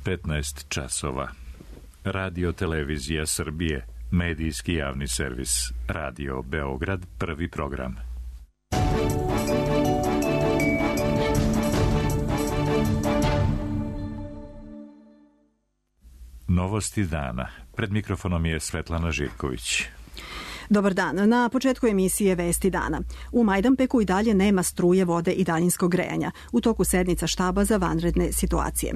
15 časova. Radio Televizija Srbije, medijski javni servis. Radio Beograd, prvi program. Novosti dana. Pred mikrofonom je Svetlana Živković. Dobar dan. Na početku emisije Vesti dana. U Majdanpeku i dalje nema struje, vode i daljinskog grejanja. U toku sednica štaba za vanredne situacije.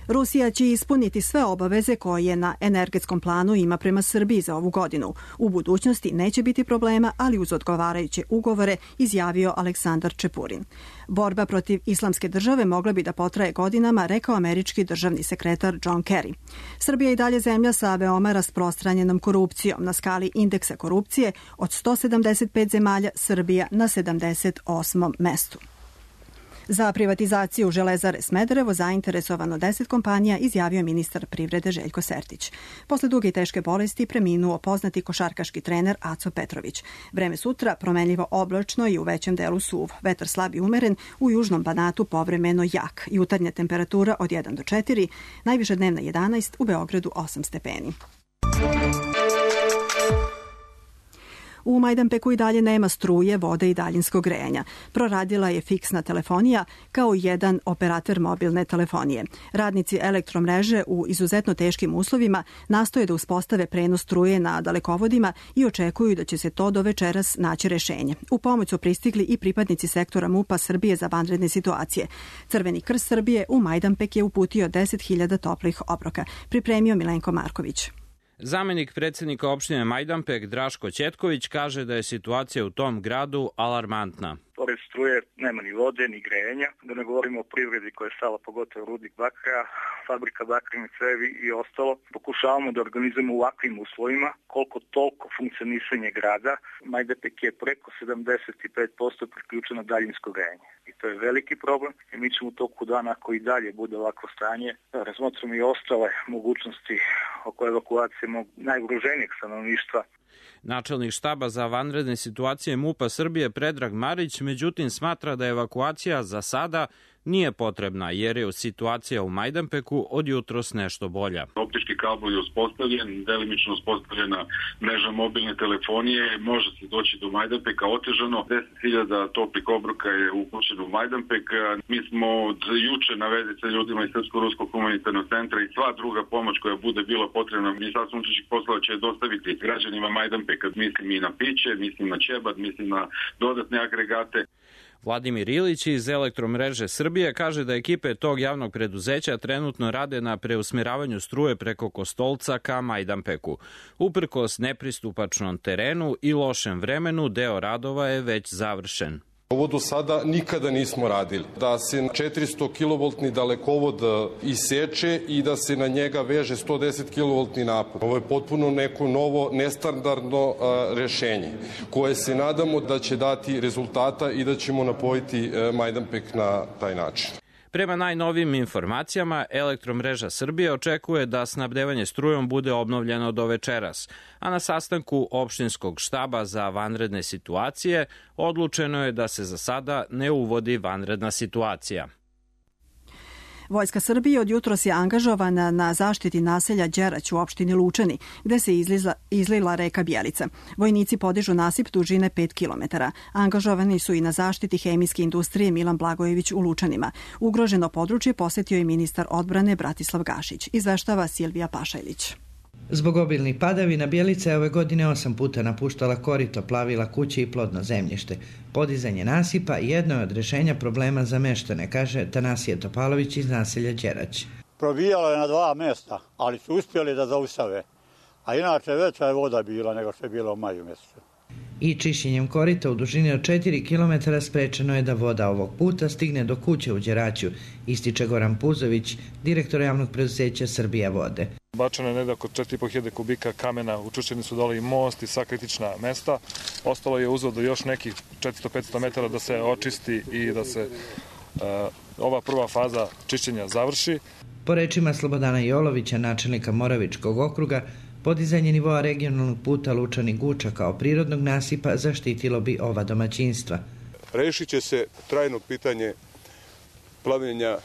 Rusija će ispuniti sve obaveze koje na energetskom planu ima prema Srbiji za ovu godinu. U budućnosti neće biti problema, ali uz odgovarajuće ugovore, izjavio Aleksandar Čepurin. Borba protiv islamske države mogla bi da potraje godinama, rekao američki državni sekretar John Kerry. Srbija je i dalje zemlja sa veoma rasprostranjenom korupcijom. Na skali indeksa korupcije od 175 zemalja Srbija na 78. mestu. Za privatizaciju Železare Smederevo zainteresovano 10 kompanija, izjavio ministar privrede Željko Sertić. Posle duge i teške bolesti preminuo poznati košarkaški trener Aco Petrović. Vreme sutra promenljivo oblačno i u većem delu suv. Vetar slab i umeren, u južnom Banatu povremeno jak. Jutarnja temperatura od 1 do 4, najviša dnevna 11, u Beogradu 8 stepeni. U Majdanpeku i dalje nema struje, vode i daljinskog grejanja. Proradila je fiksna telefonija kao jedan operator mobilne telefonije. Radnici elektromreže u izuzetno teškim uslovima nastoje da uspostave prenos struje na dalekovodima i očekuju da će se to do večeras naći rešenje. U pomoć su pristigli i pripadnici sektora MUP-a Srbije za vanredne situacije. Crveni krst Srbije u Majdanpek je uputio 10.000 toplih obroka. Pripremio Milenko Marković. Zamenik predsjednika opštine Majdanpek Draško Ćetković kaže da je situacija u tom gradu alarmantna. Pored struje nema ni vode, ni grejanja, da ne govorimo o privredi koja je stala, pogotovo rudnik bakra, fabrika bakrene cevi i ostalo. Pokušavamo da organizujemo u ovakvim uslovima koliko toliko funkcionisanje grada. Majdanpek je preko 75% priključeno daljinsko grejanje. I to je veliki problem i mi ćemo u toku dana, ako i dalje bude ovakvo stanje, razmotrimo i ostale mogućnosti oko evakuacije najugroženijeg stanovništva. Načelnik štaba za vanredne situacije MUP-a Srbije Predrag Marić, međutim, smatra da evakuacija za sada nije potrebna, jer je situacija u Majdanpeku od jutros nešto bolja. Optički kabel je uspostavljen, delimično uspostavljena mreža mobilne telefonije, može se doći do Majdanpeka otežano. 10.000 toplih obroka je upućeno u Majdanpek. Mi smo od juče na vezi sa ljudima iz Srpsko-ruskog humanitarnog centra i sva druga pomoć koja bude bila potrebna, Ministarstvo unutrašnjih poslova će dostaviti građanima Majdanpeka. Mislim i na piće, mislim na ćebad, mislim na dodatne agregate. Vladimir Ilić iz Elektromreže Srbije kaže da ekipe tog javnog preduzeća trenutno rade na preusmjeravanju struje preko Kostolca ka Majdanpeku. Uprkos nepristupačnom terenu i lošem vremenu, deo radova je već završen. Ovo do sada nikada nismo radili. Da se 400 kV dalekovod iseče i da se na njega veže 110 kV napon. Ovo je potpuno neko novo, nestandardno rešenje koje se nadamo da će dati rezultata i da ćemo napojiti Majdanpek na taj način. Prema najnovijim informacijama, Elektromreža Srbije očekuje da snabdevanje strujom bude obnovljeno do večeras, a na sastanku opštinskog štaba za vanredne situacije odlučeno je da se za sada ne uvodi vanredna situacija. Vojska Srbije od jutros je angažovana na zaštiti naselja Đerać u opštini Lučani, gde se izlila reka Bjelica. Vojnici podižu nasip dužine 5 km. Angažovani su i na zaštiti hemijske industrije Milan Blagojević u Lučanima. Ugroženo područje posetio je ministar odbrane Bratislav Gašić. Izveštava Silvija Pašajlić. Zbog obilnih padavina Bjelica je ove godine 8 puta napuštala korito, plavila kuće i plodno zemljište. Podizanje nasipa jedno je od rešenja problema za meštane, kaže Tanasije Topalović iz naselja Đerać. Probijalo je na 2 mjesta, ali su uspjeli da zaustave. A inače veća je voda bila nego što je bilo u maju mjesecu. I čišćenjem korita u dužini od 4 km sprečeno je da voda ovog puta stigne do kuće u Đeraću, ističe Goran Puzović, direktor javnog preduzeća Srbija vode. Bačeno je negdje oko 4.500 kubika kamena, učušćeni su dole i most i sva kritična mesta. Ostalo je uzvod do još nekih 400-500 metara da se očisti i da se ova prva faza čišćenja završi. Po rečima Slobodana Jolovića, načelnika Moravičkog okruga, podizanje nivoa regionalnog puta Lučani-Guča kao prirodnog nasipa zaštitilo bi ova domaćinstva. Rešit će se trajno pitanje plavljenja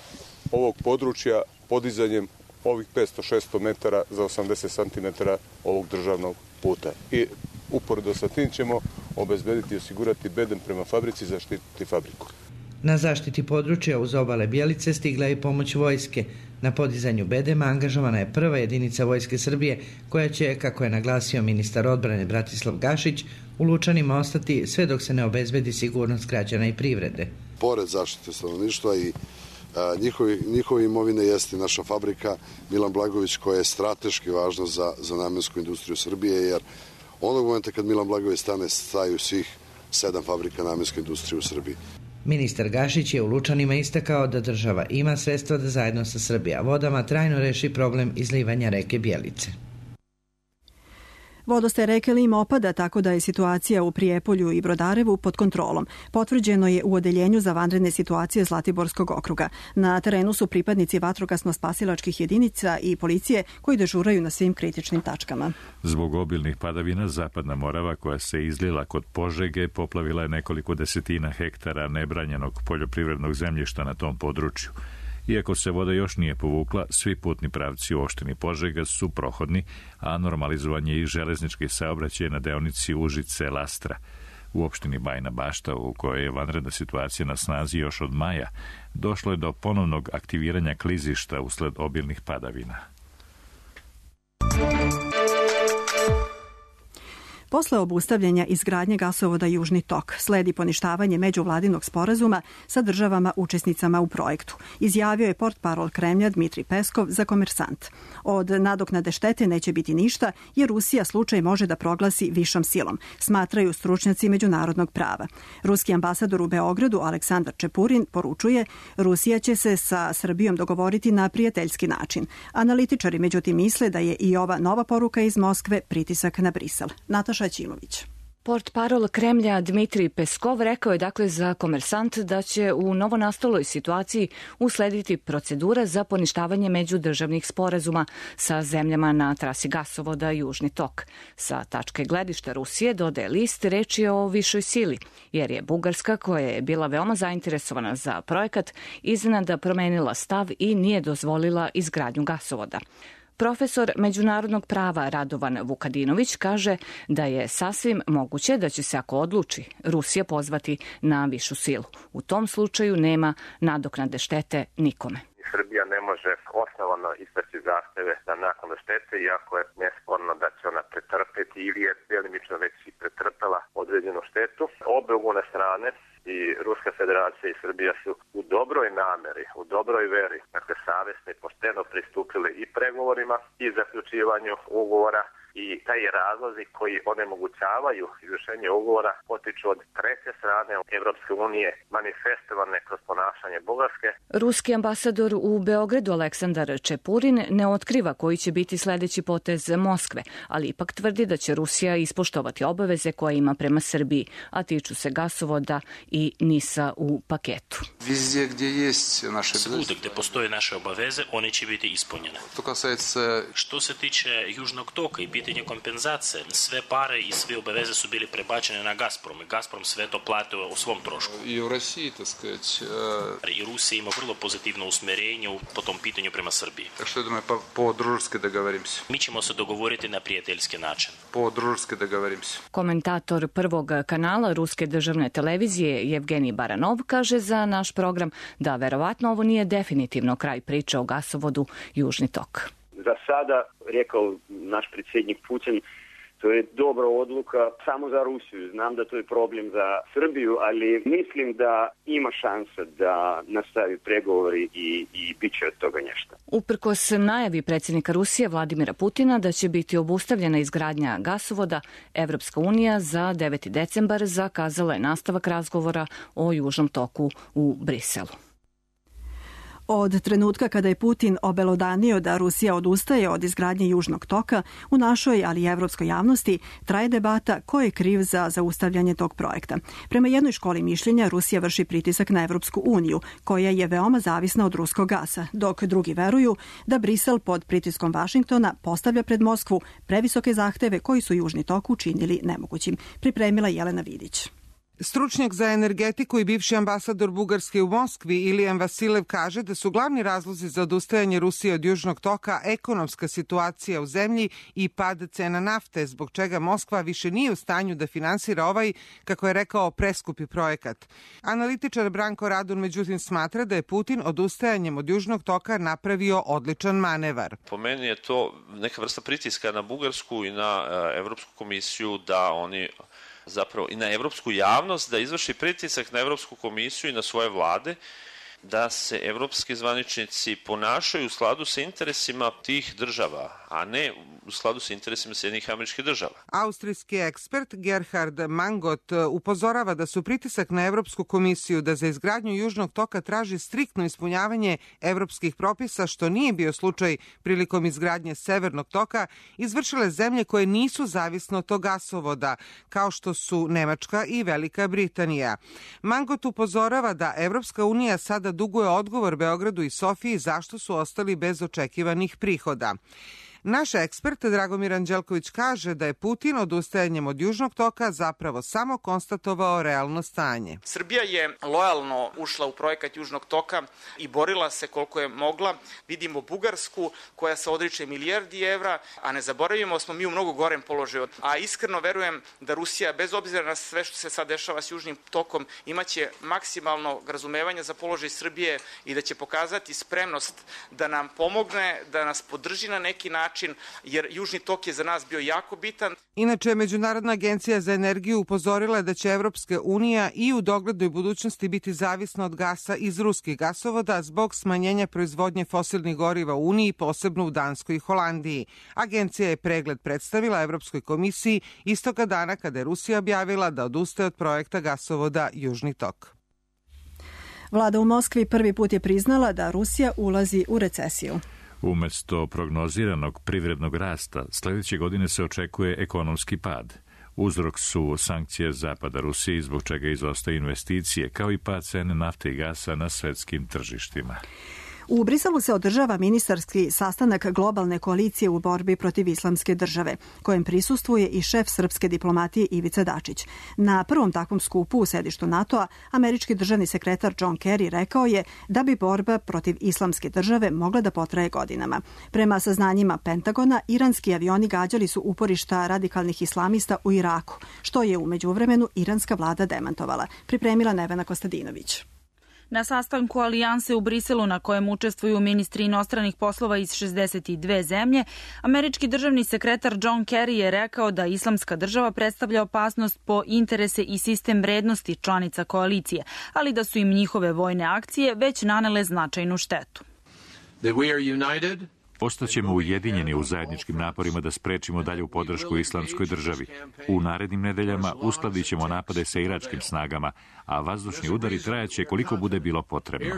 ovog područja podizanjem ovih 500-600 metara za 80 cm ovog državnog puta. I uporedo sa tim ćemo obezbediti i osigurati bedem prema fabrici, zaštititi fabriku. Na zaštiti područja uz obale Bjelice stigla je i pomoć vojske. Na podizanju bedema angažovana je prva jedinica Vojske Srbije koja će, kako je naglasio ministar odbrane Bratislav Gašić, u Lučanima ostati sve dok se ne obezbedi sigurnost građana i privrede. Pored zaštite stanovništva i njihove imovine jeste naša fabrika Milan Blagojević koja je strateški važna za namensku industriju Srbije, jer onog momenta kad Milan Blagojević stane, staju svih 7 fabrika namenske industrije u Srbiji. Ministar Gašić je u Lučanima istakao da država ima sredstva da zajedno sa Srbija vodama trajno reši problem izlivanja reke Bjelice. Vodostaj reke Lim opada, tako da je situacija u Prijepolju i Brodarevu pod kontrolom. Potvrđeno je u Odeljenju za vanredne situacije Zlatiborskog okruga. Na terenu su pripadnici vatrogasno-spasilačkih jedinica i policije koji dežuraju na svim kritičnim tačkama. Zbog obilnih padavina, Zapadna Morava koja se izlila kod Požege poplavila je nekoliko desetina hektara nebranjenog poljoprivrednog zemljišta na tom području. Iako se voda još nije povukla, svi putni pravci u opštini Požega su prohodni, a normalizovan je i železnički saobraćaj na deonici Užice-Lastra. U opštini Bajina Bašta, u kojoj je vanredna situacija na snazi još od maja, došlo je do ponovnog aktiviranja klizišta usled obilnih padavina. Posle obustavljanja izgradnje gasovoda Južni tok sledi poništavanje međuvladinog sporazuma sa državama učesnicama u projektu, izjavio je portparol Kremlja Dmitri Peskov za Komersant. Od nadoknade štete neće biti ništa jer Rusija slučaj može da proglasi višom silom, smatraju stručnjaci međunarodnog prava. Ruski ambasador u Beogradu Aleksandar Čepurin poručuje Rusija će se sa Srbijom dogovoriti na prijateljski način. Analitičari međutim misle da je i ova nova poruka iz Moskve pritisak na Brisel. Nataša Ćimović. Portparol Kremlja Dmitri Peskov rekao je dakle za Komersant da će u novonastaloj situaciji uslediti procedura za poništavanje međudržavnih sporazuma sa zemljama na trasi gasovoda Južni tok. Sa tačke gledišta Rusije, dodaje list, reč je o višoj sili, jer je Bugarska, koja je bila veoma zainteresovana za projekat, iznenada promenila stav i nije dozvolila izgradnju gasovoda. Profesor međunarodnog prava Radovan Vukadinović kaže da je sasvim moguće da će se, ako odluči, Rusija pozvati na višu silu. U tom slučaju nema nadoknade štete nikome. Srbija ne može osnovano istaći zahteve za naknadu štete, iako je nesporno da će ona pretrpeti ili je delimično već i pretrpela određenu štetu. Obe ugovorne strane, i Ruska federacija i Srbija, su u dobroj nameri, u dobroj veri, dakle savjesno i pošteno pristupile i pregovorima i zaključivanju ugovora, i taj razlozi koji onemogućavaju izvršenje ugovora potiču od treće strane Evropske unije, manifestovane kroz ponašanje Bugarske. Ruski ambasador u Beogradu Aleksandar Čepurin ne otkriva koji će biti sledeći potez Moskve, ali ipak tvrdi da će Rusija ispoštovati obaveze koje ima prema Srbiji, a tiču se gasovoda i NIS-a u paketu. Svuda gde postoje naše obaveze, one će biti ispunjene. Što se tiče Južnog toka i pitanje kompenzacije, sve pare i sve obaveze su bili prebačene na Gazprom. Gazprom sve to platio u svom trošku. I u Rusiji, I Rusija ima vrlo pozitivno usmerenje po tom pitanju prema Srbiji. Što je po-družski dogovorimся? Mi ćemo se dogovoriti na prijateljski način. Po-družski dogovorimся. Komentator Prvog kanala Ruske državne televizije Jevgenij Baranov kaže za naš program da verovatno ovo nije definitivno kraj priče o gasovodu Južni tok. Za sada, rekao naš predsjednik Putin, to je dobra odluka samo za Rusiju. Znam da to je problem za Srbiju, ali mislim da ima šansa da nastavi pregovori i bit će od toga nešto. Uprkos najavi predsjednika Rusije Vladimira Putina da će biti obustavljena izgradnja gasovoda, Evropska unija za 9. decembar zakazala je nastavak razgovora o Južnom toku u Briselu. Od trenutka kada je Putin obelodanio da Rusija odustaje od izgradnje Južnog toka, u našoj, ali i evropskoj javnosti, traje debata ko je kriv za zaustavljanje tog projekta. Prema jednoj školi mišljenja, Rusija vrši pritisak na Evropsku uniju, koja je veoma zavisna od ruskog gasa, dok drugi veruju da Brisel pod pritiskom Vašingtona postavlja pred Moskvu previsoke zahteve koji su Južni tok učinili nemogućim. Pripremila Jelena Vidić. Stručnjak za energetiku i bivši ambasador Bugarske u Moskvi Ilijan Vasilev kaže da su glavni razlozi za odustajanje Rusije od Južnog toka ekonomska situacija u zemlji i pad cena nafte, zbog čega Moskva više nije u stanju da finansira ovaj, kako je rekao, preskupi projekat. Analitičar Branko Radun međutim smatra da je Putin odustajanjem od Južnog toka napravio odličan manevar. Po meni je to neka vrsta pritiska na Bugarsku i na Evropsku komisiju da oni zapravo i na evropsku javnost, da izvrši pritisak na Evropsku komisiju i na svoje vlade, da se evropski zvaničnici ponašaju u skladu sa interesima tih država, a ne u skladu sa interesima Sjedinjenih Američkih Država. Austrijski ekspert Gerhard Mangot upozorava da su pritisak na Evropsku komisiju da za izgradnju Južnog toka traži striktno ispunjavanje evropskih propisa, što nije bio slučaj prilikom izgradnje Severnog toka, izvršile zemlje koje nisu zavisne od tog gasovoda, kao što su Nemačka i Velika Britanija. Mangot upozorava da Evropska unija sada duguje odgovor Beogradu i Sofiji zašto su ostali bez očekivanih prihoda. Naš ekspert Dragomir Anđelković kaže da je Putin odustajanjem od Južnog toka zapravo samo konstatovao realno stanje. Srbija je lojalno ušla u projekat Južnog toka i borila se koliko je mogla. Vidimo Bugarsku koja se odriče milijardi evra, a ne zaboravimo smo mi u mnogo gorem položaju. A iskreno verujem da Rusija, bez obzira na sve što se sad dešava s Južnim tokom, imaće maksimalno razumevanja za položaj Srbije i da će pokazati spremnost da nam pomogne, da nas podrži na neki način, jer Južni tok je za nas bio jako bitan. Inače, Međunarodna agencija za energiju upozorila je da će Evropska unija i u doglednoj budućnosti biti zavisna od gasa iz ruskih gasovoda zbog smanjenja proizvodnje fosilnih goriva u Uniji, posebno u Danskoj i Holandiji. Agencija je pregled predstavila Evropskoj komisiji istoga dana kada je Rusija objavila da odustaje od projekta gasovoda Južni tok. Vlada u Moskvi prvi put je priznala da Rusija ulazi u recesiju. Umesto prognoziranog privrednog rasta, sledeće godine se očekuje ekonomski pad. Uzrok su sankcije zapada Rusiji, zbog čega izostaju investicije, kao i pad cene nafte i gasa na svetskim tržištima. U Briselu se održava ministarski sastanak globalne koalicije u borbi protiv islamske države, kojem prisustvuje i šef srpske diplomatije Ivica Dačić. Na prvom takvom skupu u sedištu NATO-a, američki državni sekretar John Kerry rekao je da bi borba protiv islamske države mogla da potraje godinama. Prema saznanjima Pentagona, iranski avioni gađali su uporišta radikalnih islamista u Iraku, što je u međuvremenu iranska vlada demantovala. Pripremila Nevena Kostadinović. Na sastanku alijanse u Briselu, na kojem učestvuju ministri inostranih poslova iz 62 zemlje, američki državni sekretar John Kerry je rekao da islamska država predstavlja opasnost po interese i sistem vrednosti članica koalicije, ali da su im njihove vojne akcije već nanele značajnu štetu. Ostaćemo ujedinjeni u zajedničkim naporima da sprečimo dalju podršku islamskoj državi. U narednim nedeljama uskladit ćemo napade sa iračkim snagama, a vazdušni udari trajaće koliko bude bilo potrebno.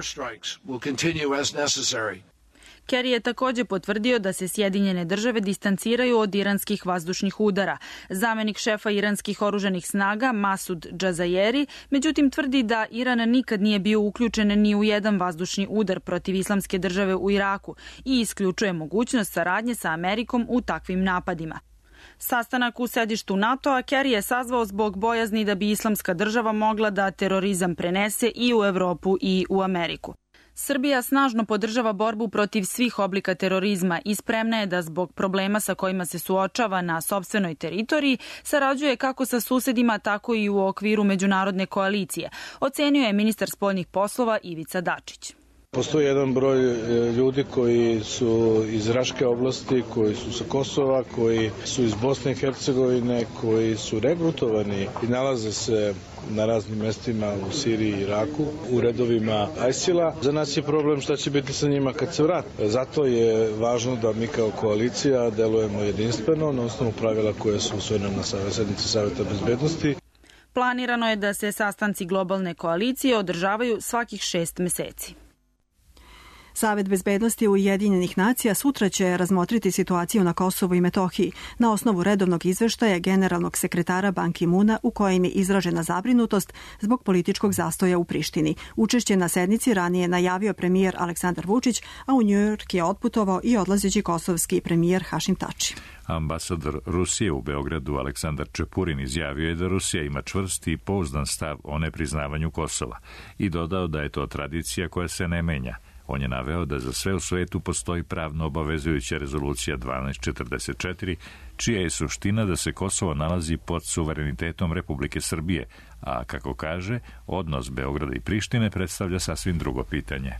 Kerry je takođe potvrdio da se Sjedinjene države distanciraju od iranskih vazdušnih udara. Zamenik šefa iranskih oružanih snaga Masud Džazajeri međutim tvrdi da Iran nikad nije bio uključen ni u jedan vazdušni udar protiv islamske države u Iraku i isključuje mogućnost saradnje sa Amerikom u takvim napadima. Sastanak u sedištu NATO-a Kerry je sazvao zbog bojazni da bi islamska država mogla da terorizam prenese i u Evropu i u Ameriku. Srbija snažno podržava borbu protiv svih oblika terorizma i spremna je da zbog problema sa kojima se suočava na sopstvenoj teritoriji sarađuje kako sa susedima, tako i u okviru međunarodne koalicije, ocenio je ministar spoljnih poslova Ivica Dačić. Postoji jedan broj ljudi koji su iz Raške oblasti, koji su sa Kosova, koji su iz Bosne i Hercegovine, koji su regrutovani i nalaze se na raznim mestima u Siriji i Iraku, u redovima ISIL-a. Za nas je problem šta će biti sa njima kad se vrate. Zato je važno da mi kao koalicija delujemo jedinstveno na osnovu pravila koje su usvojene na sednici Saveta bezbednosti. Planirano je da se sastanci globalne koalicije održavaju svakih 6 meseci. Savet bezbednosti Ujedinjenih nacija sutra će razmotriti situaciju na Kosovu i Metohiji na osnovu redovnog izveštaja generalnog sekretara Ban Ki-muna u kojem je izražena zabrinutost zbog političkog zastoja u Prištini. Učešće na sednici ranije najavio premijer Aleksandar Vučić, a u Njujork je otputovao i odlazeći kosovski premijer Hašim Tači. Ambasador Rusije u Beogradu Aleksandar Čepurin izjavio je da Rusija ima čvrst i pouzdan stav o nepriznavanju Kosova i dodao da je to tradicija koja se ne menja. On je naveo da za sve u svetu postoji pravno obavezujuća rezolucija 1244, čija je suština da se Kosovo nalazi pod suverenitetom Republike Srbije, a kako kaže, odnos Beograda i Prištine predstavlja sasvim drugo pitanje.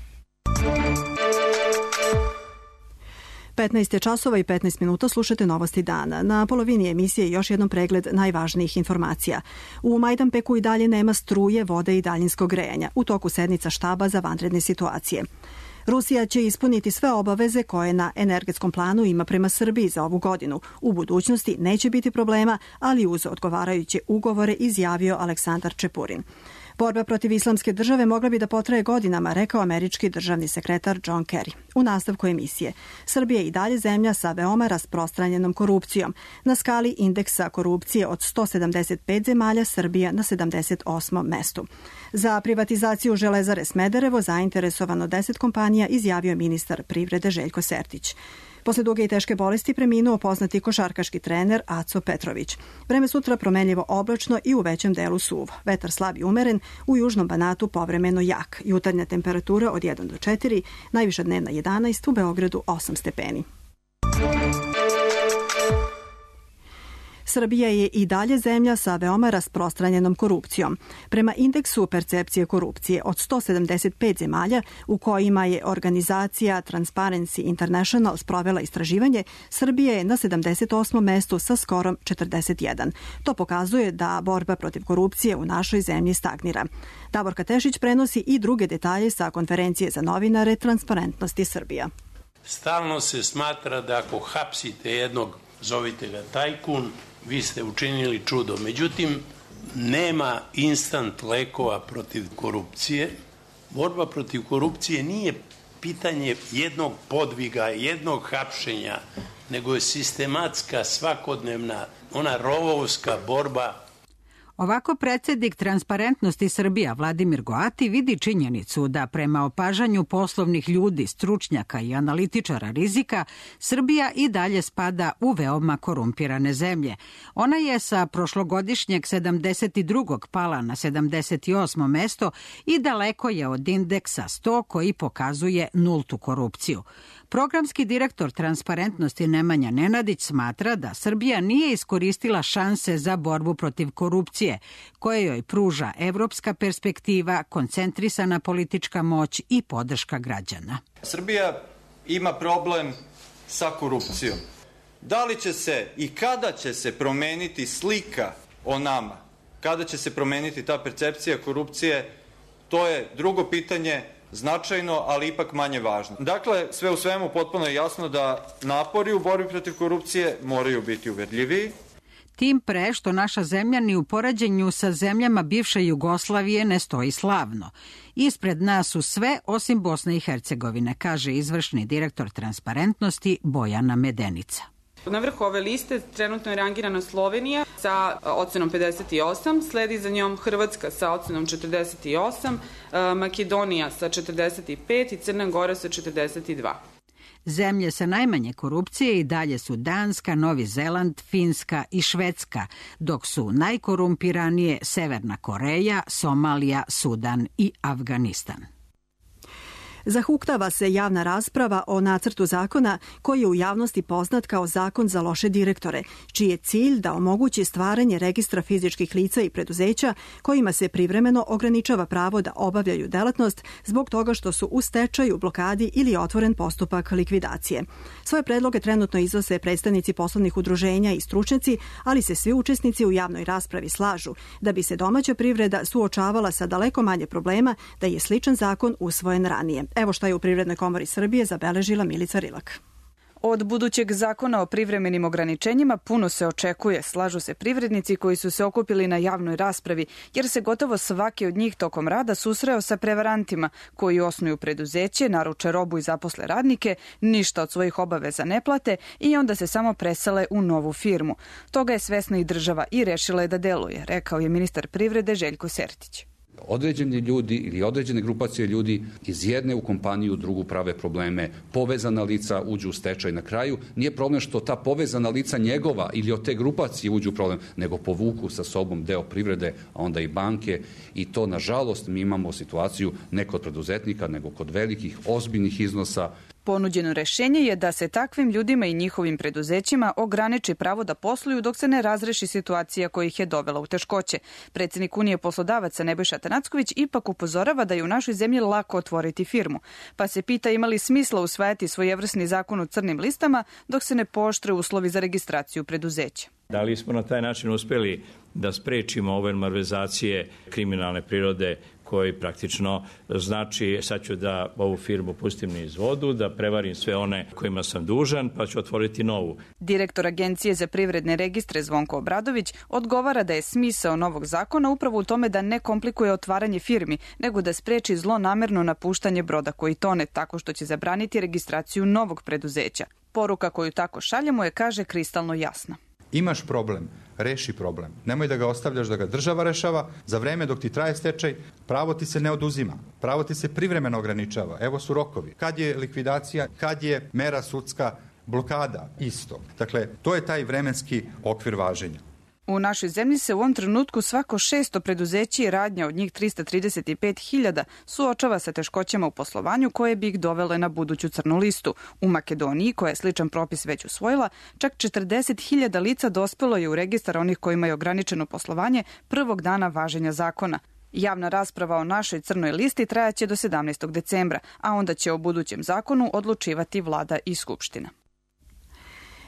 15 časova i 15 minuta, slušate Novosti dana. Na polovini emisije još jednom pregled najvažnijih informacija. U Majdanpeku i dalje nema struje, vode i daljinskog grejanja. U toku sednica štaba za vanredne situacije. Rusija će ispuniti sve obaveze koje na energetskom planu ima prema Srbiji za ovu godinu. U budućnosti neće biti problema, ali uz odgovarajuće ugovore, izjavio Aleksandar Čepurin. Borba protiv islamske države mogla bi da potraje godinama, rekao američki državni sekretar John Kerry. U nastavku emisije, Srbija je i dalje zemlja sa veoma rasprostranjenom korupcijom. Na skali indeksa korupcije od 175 zemalja, Srbija na 78. mestu. Za privatizaciju Železare Smederevo zainteresovano 10 kompanija, izjavio ministar privrede Željko Sertić. Posle duge i teške bolesti preminuo poznati košarkaški trener Aco Petrović. Vreme sutra promenljivo oblačno i u većem delu suvo. Vetar slab i umeren, u južnom Banatu povremeno jak. Jutarnja temperatura od 1 do 4, najviša dnevna 11, u Beogradu 8 stepeni. Srbija je i dalje zemlja sa veoma rasprostranjenom korupcijom. Prema indeksu percepcije korupcije od 175 zemalja u kojima je organizacija Transparency International sprovela istraživanje, Srbija je na 78. mestu sa skorom 41. To pokazuje da borba protiv korupcije u našoj zemlji stagnira. Davorka Tešić prenosi i druge detalje sa konferencije za novinare Transparentnosti Srbija. Stalno se smatra da ako hapsite jednog, zovite ga tajkun, vi ste učinili čudo. Međutim, nema instant lekova protiv korupcije. Borba protiv korupcije nije pitanje jednog podviga, jednog hapšenja, nego je sistematska, svakodnevna, ona rovovska borba. Ovako predsjednik Transparentnosti Srbija Vladimir Goati vidi činjenicu da prema opažanju poslovnih ljudi, stručnjaka i analitičara rizika, Srbija i dalje spada u veoma korumpirane zemlje. Ona je sa prošlogodišnjeg 72. pala na 78. mesto i daleko je od indeksa 100 koji pokazuje nultu korupciju. Programski direktor Transparentnosti Nemanja Nenadić smatra da Srbija nije iskoristila šanse za borbu protiv korupcije, koje joj pruža evropska perspektiva, koncentrisana politička moć i podrška građana. Srbija ima problem sa korupcijom. Da li će se i kada će se promeniti slika o nama? Kada će se promeniti ta percepcija korupcije? To je drugo pitanje, značajno, ali ipak manje važno. Dakle, sve u svemu potpuno je jasno da napori u borbi protiv korupcije moraju biti uverljiviji. Tim pre što naša zemlja ni u poređenju sa zemljama bivše Jugoslavije ne stoji slavno. Ispred nas su sve osim Bosne i Hercegovine, kaže izvršni direktor Transparentnosti Bojana Medenica. Na vrhu ove liste trenutno je rangirana Slovenija sa ocenom 58, sledi za njom Hrvatska sa ocenom 48, Makedonija sa 45 i Crna Gora sa 42. Zemlje sa najmanje korupcije i dalje su Danska, Novi Zeland, Finska i Švedska, dok su najkorumpiranije Severna Koreja, Somalija, Sudan i Afganistan. Zahuktava se javna rasprava o nacrtu zakona koji je u javnosti poznat kao zakon za loše direktore, čiji je cilj da omogući stvaranje registra fizičkih lica i preduzeća kojima se privremeno ograničava pravo da obavljaju delatnost zbog toga što su u stečaju, blokadi ili je otvoren postupak likvidacije. Svoje predloge trenutno iznose predstavnici poslovnih udruženja i stručnjaci, ali se svi učesnici u javnoj raspravi slažu da bi se domaća privreda suočavala sa daleko manje problema da je sličan zakon usvojen ranije. Evo šta je u Privrednoj komori Srbije zabeležila Milica Rilak. Od budućeg zakona o privremenim ograničenjima puno se očekuje, slažu se privrednici koji su se okupili na javnoj raspravi, jer se gotovo svaki od njih tokom rada susreo sa prevarantima koji osnuju preduzeće, naruče robu i zaposle radnike, ništa od svojih obaveza ne plate i onda se samo presele u novu firmu. Toga je svesna i država i rešila je da deluje, rekao je ministar privrede Željko Sertić. Određeni ljudi ili određene grupacije ljudi iz jedne u kompaniju drugu prave probleme, povezana lica uđu u stečaj na kraju. Nije problem što ta povezana lica njegova ili od te grupacije uđu u problem, nego povuku sa sobom deo privrede, a onda i banke, i to, nažalost, mi imamo situaciju ne kod preduzetnika, nego kod velikih, ozbiljnih iznosa. Ponuđeno rešenje je da se takvim ljudima i njihovim preduzećima ograniči pravo da posluju dok se ne razreši situacija koja ih je dovela u teškoće. Predsjednik Unije poslodavaca Nebojša Tanacković ipak upozorava da je u našoj zemlji lako otvoriti firmu, pa se pita ima li smisla usvajati svojevrsni zakon o crnim listama dok se ne pooštre uslovi za registraciju preduzeća. Da li smo na taj način uspeli da sprečimo ove malverzacije kriminalne prirode koji praktično znači sad ću da ovu firmu pustim niz vodu, da prevarim sve one kojima sam dužan, pa ću otvoriti novu. Direktor Agencije za privredne registre Zvonko Obradović odgovara da je smisao novog zakona upravo u tome da ne komplikuje otvaranje firmi, nego da spreči zlonamerno napuštanje broda koji tone tako što će zabraniti registraciju novog preduzeća. Poruka koju tako šaljemo je, kaže, kristalno jasna. Imaš problem, reši problem. Nemoj da ga ostavljaš da ga država rešava. Za vreme dok ti traje stečaj, pravo ti se ne oduzima. Pravo ti se privremeno ograničava. Evo su rokovi. Kad je likvidacija, kad je mera sudska blokada, isto. Dakle, to je taj vremenski okvir važenja. U našoj zemlji se u ovom trenutku svako 600 preduzeća i radnja, od njih 335.000, suočava sa teškoćama u poslovanju koje bi ih dovele na buduću crnu listu. U Makedoniji, koja je sličan propis već usvojila, čak 40.000 lica dospelo je u registar onih kojima je ograničeno poslovanje prvog dana važenja zakona. Javna rasprava o našoj crnoj listi trajaće do 17. decembra, a onda će o budućem zakonu odlučivati vlada i skupština.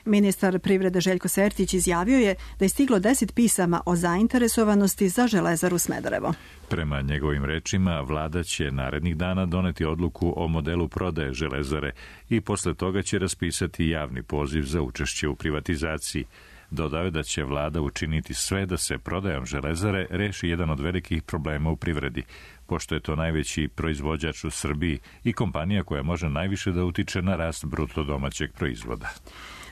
Ministar privrede Željko Sertić izjavio je da je stiglo 10 pisama o zainteresovanosti za Železaru Smederevo. Prema njegovim rečima, vlada će narednih dana doneti odluku o modelu prodaje Železare i posle toga će raspisati javni poziv za učešće u privatizaciji. Dodao je da će vlada učiniti sve da se prodajom Železare reši jedan od velikih problema u privredi, pošto je to najveći proizvođač u Srbiji i kompanija koja može najviše da utiče na rast bruto domaćeg proizvoda.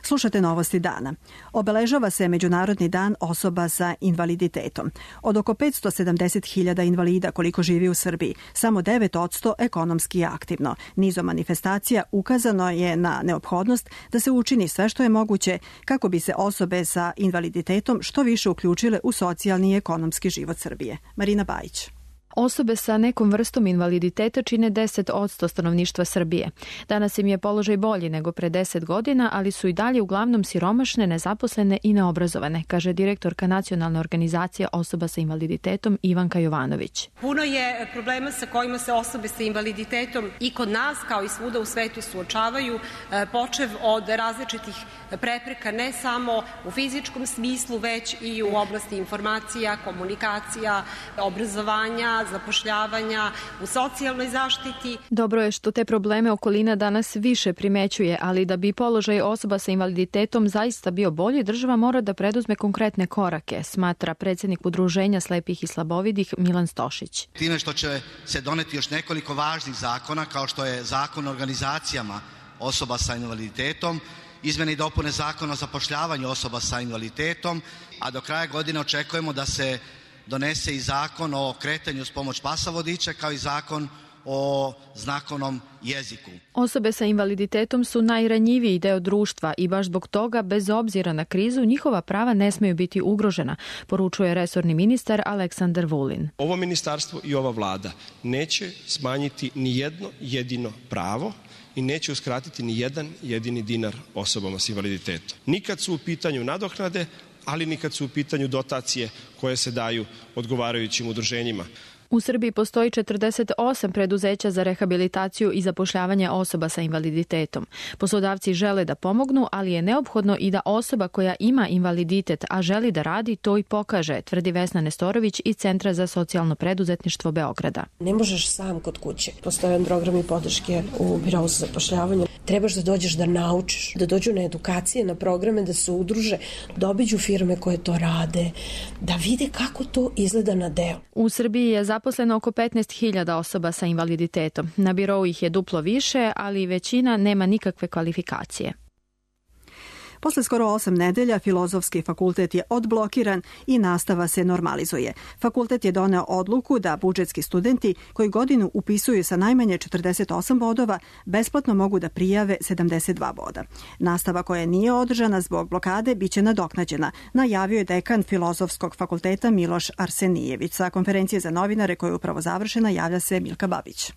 Slušate novosti dana. Obeležava se Međunarodni dan osoba sa invaliditetom. Od oko 570.000 invalida koliko živi u Srbiji, samo 9% ekonomski je aktivno. Nizom manifestacija ukazano je na neophodnost da se učini sve što je moguće kako bi se osobe sa invaliditetom što više uključile u socijalni i ekonomski život Srbije. Marina Bajić. Osobe sa nekom vrstom invaliditeta čine 10% stanovništva Srbije. Danas im je položaj bolji nego pre 10 godina, ali su i dalje uglavnom siromašne, nezaposlene i neobrazovane, kaže direktorka Nacionalne organizacije osoba sa invaliditetom Ivanka Jovanović. Puno je problema sa kojima se osobe sa invaliditetom i kod nas, kao i svuda u svetu, suočavaju, počev od različitih prepreka ne samo u fizičkom smislu, već i u oblasti informacija, komunikacija, obrazovanja, zapošljavanja, u socijalnoj zaštiti. Dobro je što te probleme okolina danas više primećuje, ali da bi položaj osoba sa invaliditetom zaista bio bolji, država mora da preduzme konkretne korake, smatra predsjednik Udruženja slepih i slabovidih Milan Stošić. Time što će se doneti još nekoliko važnih zakona, kao što je Zakon o organizacijama osoba sa invaliditetom, izmene i dopune Zakona o zapošljavanju osoba sa invaliditetom, a do kraja godine očekujemo da se donese i zakon o kretanju s pomoć pasa vodiča, kao i zakon o znakovnom jeziku. Osobe sa invaliditetom su najranjiviji deo društva i baš zbog toga, bez obzira na krizu, njihova prava ne smeju biti ugrožena, poručuje resorni ministar Aleksandar Vulin. Ovo ministarstvo i ova vlada neće smanjiti ni jedno jedino pravo i neće uskratiti ni jedan jedini dinar osobama s invaliditetom. Nikad su u pitanju nadoknade, ali nikad su u pitanju dotacije koje se daju odgovarajućim udruženjima. U Srbiji postoji 48 preduzeća za rehabilitaciju i zapošljavanje osoba sa invaliditetom. Poslodavci žele da pomognu, ali je neophodno i da osoba koja ima invaliditet, a želi da radi, to i pokaže, tvrdi Vesna Nestorović iz Centra za socijalno preduzetništvo Beograda. Ne možeš sam kod kuće. Postoje programi podrške u Birou za zapošljavanje. Trebaš da dođeš da naučiš, da dođu na edukacije, na programe, da se udruže, da obiđu firme koje to rade, da vide kako to izgleda na delu. U Srbiji je zaposleno oko 15.000 osoba sa invaliditetom. Na birou ih je duplo više, ali većina nema nikakve kvalifikacije. Posle skoro 8 nedelja Filozofski fakultet je odblokiran i nastava se normalizuje. Fakultet je doneo odluku da budžetski studenti koji godinu upisuju sa najmanje 48 bodova besplatno mogu da prijave 72 boda. Nastava koja nije održana zbog blokade biće nadoknađena, najavio je dekan Filozofskog fakulteta Miloš Arsenijević. Sa konferencije za novinare koja je upravo završena javlja se Milka Babić.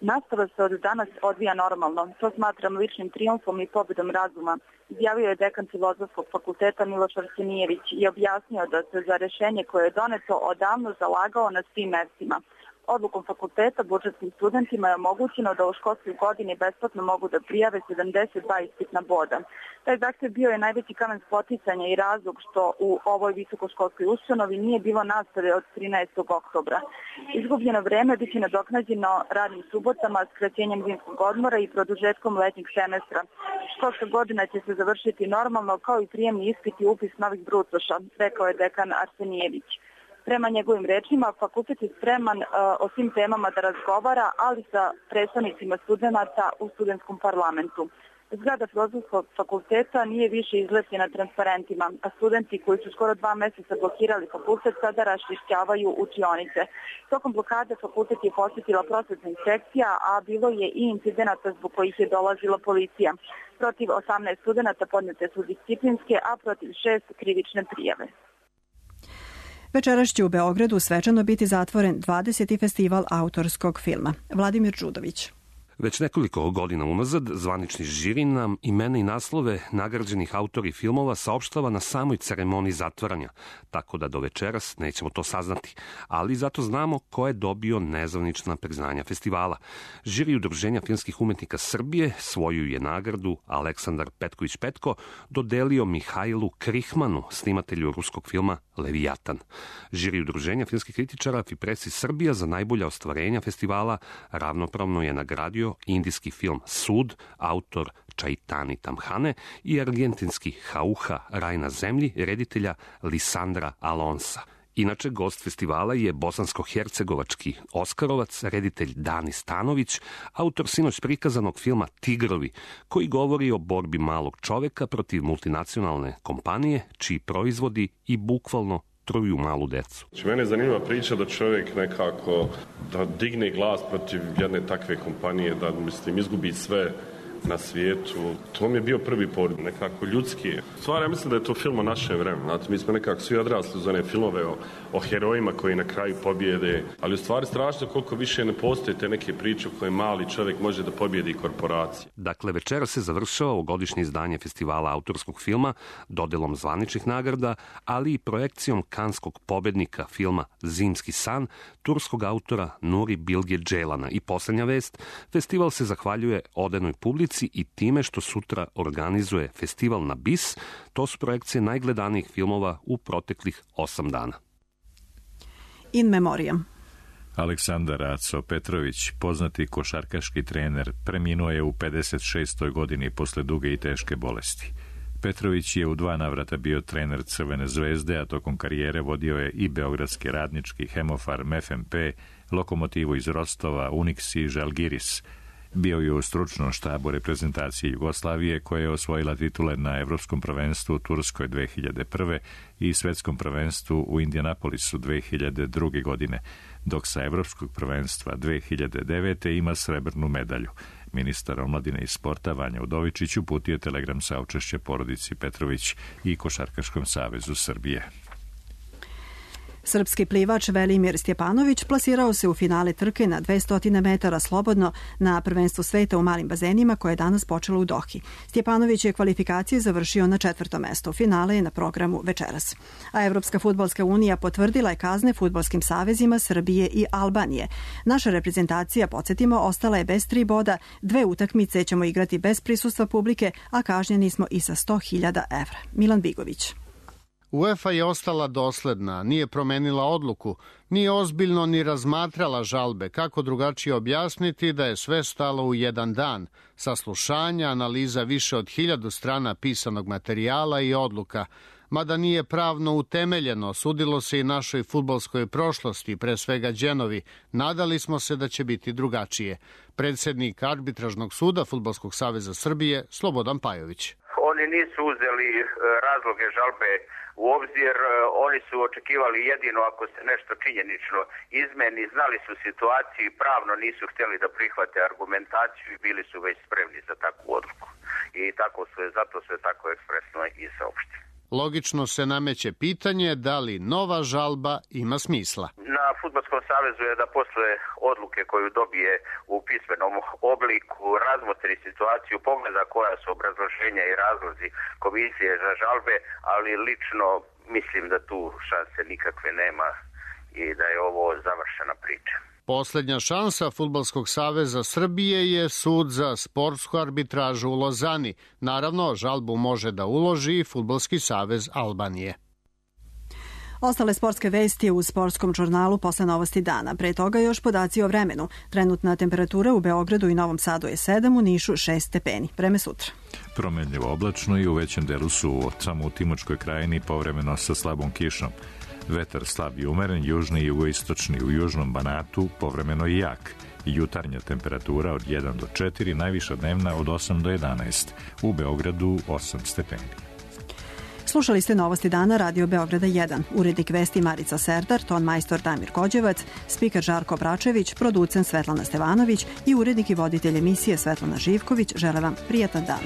Nastava se od danas odvija normalno. To smatram ličnim trijumfom i pobedom razuma, izjavio je dekan Filozofskog fakulteta Miloš Arsenijević i objasnio da se za rešenje koje je doneto odavno zalagao na svim mestima. Odlukom fakulteta budžetskim studentima je omogućeno da u školskoj godini besplatno mogu da prijave 72 ispitna boda. Taj zahtev bio je najveći kamen spoticanja i razlog što u ovoj visokoškolskoj ustanovi nije bilo nastave od 13. oktobra. Izgubljeno vreme biće nadoknađeno radnim subotama, skraćenjem zimskog odmora i produžetkom letnjeg semestra. Školska godina će se završiti normalno kao i prijemni ispit i upis novih brucoša, rekao je dekan Arsenijević. Prema njegovim rečima, fakultet je spreman o svim temama da razgovara, ali sa predstavnicima studenata u studentskom parlamentu. Zgrada Filozofskog fakulteta nije više izlepljena transparentima, a studenti koji su skoro 2 meseca blokirali fakultet sada raščišćavaju učionice. Tokom blokade fakultet je posjetila prosvetna inspekcija, a bilo je i incidenata zbog kojih je dolazila policija. Protiv 18 studenata podnete su disciplinske, a protiv 6 krivične prijave. Večeras će u Beogradu svečano biti zatvoren 20. festival autorskog filma. Vladimir Đudović. Već nekoliko godina unazad zvanični žiri nam imena i naslove nagrađenih autori filmova saopštava na samoj ceremoniji zatvaranja, tako da do večeras nećemo to saznati, ali zato znamo ko je dobio nezvanična priznanja festivala. Žiri Udruženja filmskih umetnika Srbije svoju je nagradu Aleksandar Petković-Petko dodelio Mihajlu Krihmanu, snimatelju ruskog filma Levijatan. Žiri Udruženja filmskih kritičara Fipresi Srbija za najbolja ostvarenja festivala ravnopravno je nagradio indijski film Sud, autor Čaitani Tamhane, i argentinski Hauha, Raj na zemlji, reditelja Lisandra Alonsa. Inače, gost festivala je bosansko-hercegovački Oskarovac, reditelj Dani Stanović, autor sinoć prikazanog filma Tigrovi, koji govori o borbi malog čoveka protiv multinacionalne kompanije, čiji proizvodi i bukvalno truju malu decu. Mene je zanimljiva priča da čovjek nekako da digne glas protiv jedne takve kompanije, da izgubi sve na svijetu. To mi je bio prvi pored, nekako ljudski. Stvar, ja mislim da je to film o našem vremenu. Znate, mi smo nekako svi odrasli uz one filmove o herojima koji na kraju pobjede, ali u stvari strašno koliko više ne postoje te neke priče u koje mali čovjek može da pobjedi korporacije. Dakle, večera se završava ovogodišnje izdanje festivala autorskog filma, dodelom zvaničnih nagrada, ali i projekcijom kanskog pobednika filma Zimski san, turskog autora Nuri Bilge Ceylan'a. I posljednja vest, festival se zahvaljuje odenoj publici i time što sutra organizuje festival na BIS. To su projekcije najgledanijih filmova u proteklih 8 dana. In memoriam. Aleksandar Aco Petrović, poznati košarkaški trener, preminuo je u 56. godini posle duge i teške bolesti. Petrović je u 2 navrata bio trener Crvene zvezde, a tokom karijere vodio je i Beogradski Radnički, Hemofarm, FMP, Lokomotivu iz Rostova, Unix i Žalgiris. Bio je u stručnom štabu reprezentacije Jugoslavije, koja je osvojila titule na Evropskom prvenstvu u Turskoj 2001. i Svetskom prvenstvu u Indianapolisu 2002. godine, dok sa Evropskog prvenstva 2009. ima srebrnu medalju. Ministar omladine i sporta Vanja Udovičić uputio telegram saučešće porodici Petrović i Košarkaškom savezu Srbije. Srpski plivač Velimir Stjepanović plasirao se u finale trke na 200 metara slobodno na prvenstvu sveta u malim bazenima koje je danas počelo u Dohi. Stjepanović je kvalifikacije završio na 4. mestu. Finale je na programu večeras. A Evropska fudbalska unija potvrdila je kazne fudbalskim savezima Srbije i Albanije. Naša reprezentacija, podsjetimo, ostala je bez 3 boda, 2 utakmice ćemo igrati bez prisustva publike, a kažnjeni smo i sa 100.000 evra. Milan Bigović. UEFA je ostala dosledna, nije promenila odluku, nije ozbiljno ni razmatrala žalbe. Kako drugačije objasniti da je sve stalo u jedan dan? Saslušanja, analiza više od 1000 strana pisanog materijala i odluka. Mada nije pravno utemeljeno, sudilo se i našoj fudbalskoj prošlosti, pre svega Đenovi. Nadali smo se da će biti drugačije. Predsjednik arbitražnog suda Fudbalskog saveza Srbije, Slobodan Pajović. Oni nisu uzeli razloge žalbe u obzir. Oni su očekivali jedino ako se nešto činjenično izmeni, znali su situaciju i pravno nisu htjeli da prihvate argumentaciju i bili su već spremni za takvu odluku. I zato su je tako ekspresno i saopštili. Logično se nameće pitanje da li nova žalba ima smisla. Na Fudbalskom savezu je da posle odluke koju dobije u pismenom obliku razmotri situaciju, pogleda koja su obrazloženja i razlozi komisije za žalbe, ali lično mislim da tu šanse nikakve nema i da je ovo završena priča. Poslednja šansa Fudbalskog saveza Srbije je sud za sportsku arbitražu u Lozani. Naravno, žalbu može da uloži i Fudbalski savez Albanije. Ostale sportske vesti u sportskom žurnalu posle novosti dana. Pre toga još podaci o vremenu. Trenutna temperatura u Beogradu i Novom Sadu je 7, u Nišu 6 stepeni. Vreme sutra. Promenljivo oblačno i u većem delu suvo. Samo u Timočkoj krajini povremeno sa slabom kišom. Vetar slab i umeren, južni i jugoistočni, u južnom Banatu povremeno i jak. Jutarnja temperatura od 1 do 4, najviša dnevna od 8 do 11. U Beogradu 8 stepeni. Slušali ste novosti dana Radio Beograda 1. Urednik vesti Marica Serdar, ton majstor Damir Kođevac, spiker Žarko Bračević, producent Svetlana Stevanović i urednik i voditelj emisije Svetlana Živković žele vam prijatan dan.